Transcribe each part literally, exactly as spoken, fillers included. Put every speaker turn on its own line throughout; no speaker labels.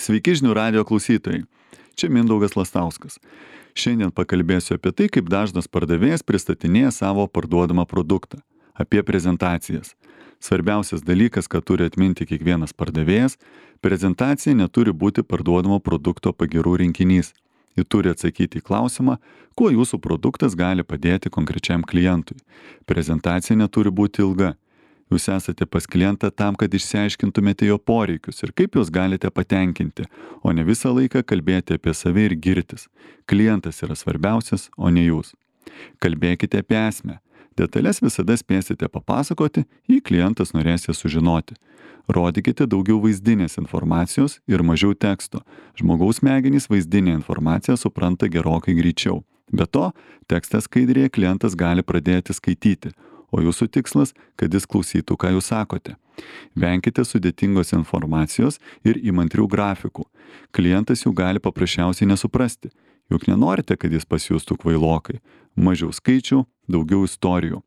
Sveiki žinių radijo klausytojai. Čia Mindaugas Lastauskas. Šiandien pakalbėsiu apie tai, kaip dažnas pardavėjas pristatinėja savo parduodamą produktą. Apie prezentacijas. Svarbiausias dalykas, ką turi atminti kiekvienas pardavėjas, prezentacija neturi būti parduodamo produkto pagyrų rinkinys. Ji turi atsakyti į klausimą, kuo jūsų produktas gali padėti konkrečiam klientui. Prezentacija neturi būti ilga. Jūs esate pas klientą tam, kad išsiaiškintumėte jo poreikius ir kaip juos galite patenkinti, o ne visą laiką kalbėti apie save ir girtis. Klientas yra svarbiausias, o ne jūs. Kalbėkite apie esmę. Detalės visada spėsite papasakoti, jei klientas norės jas sužinoti. Rodykite daugiau vaizdinės informacijos ir mažiau teksto. Žmogaus smegenys vaizdinę informaciją supranta gerokai greičiau. Be to, tekstą skaidrėje klientas gali pradėti skaityti, o jūsų tikslas, kad jis klausytų, ką jūs sakote. Venkite sudėtingos informacijos ir įmantrių grafikų. Klientas jų gali paprasčiausiai nesuprasti. Juk nenorite, kad jis pasijustų kvailokai. Mažiau skaičių, daugiau istorijų.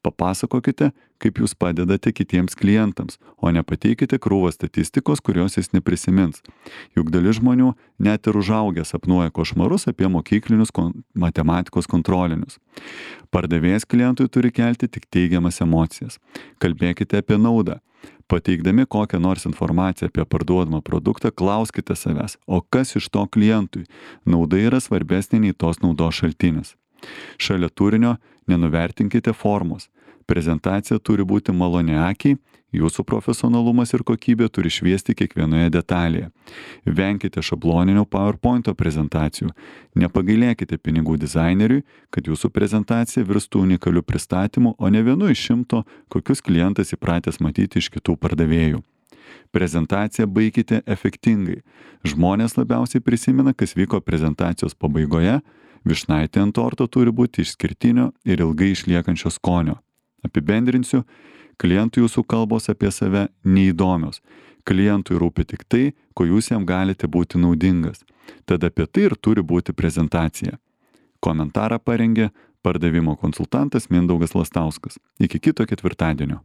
Papasakokite, kaip jūs padedate kitiems klientams, o ne pateikite krūvą statistikos, kurios jis neprisimins. Juk dalis žmonių net ir užaugę sapnuoja košmarus apie mokyklinius kon- matematikos kontrolinius. Pardavėjas klientui turi kelti tik teigiamas emocijas. Kalbėkite apie naudą. Pateikdami kokią nors informaciją apie parduodamą produktą, klauskite savęs, o kas iš to klientui? Nauda yra svarbesnė nei tos naudos šaltinis. Šalia turinio nenuvertinkite formos. Prezentacija turi būti maloni akiai, jūsų profesionalumas ir kokybė turi šviesti kiekvienoje detalėje. Venkite šabloninio PowerPoint prezentacijų. Nepagailėkite pinigų dizaineriui, kad jūsų prezentacija virstų unikaliu pristatymu, o ne vienu iš šimto, kokius klientas įpratęs matyti iš kitų pardavėjų. Prezentaciją baikite efektingai. Žmonės labiausiai prisimena, kas vyko prezentacijos pabaigoje. Vyšnaitė ant torto turi būti išskirtinio ir ilgai išliekančio skonio. Apibendrinsiu, klientui jūsų kalbos apie save neįdomios. Klientui rūpi tik tai, ko jūs jam galite būti naudingas. Tad apie tai ir turi būti prezentacija. Komentarą parengė pardavimo konsultantas Mindaugas Lastauskas. Iki kito ketvirtadienio.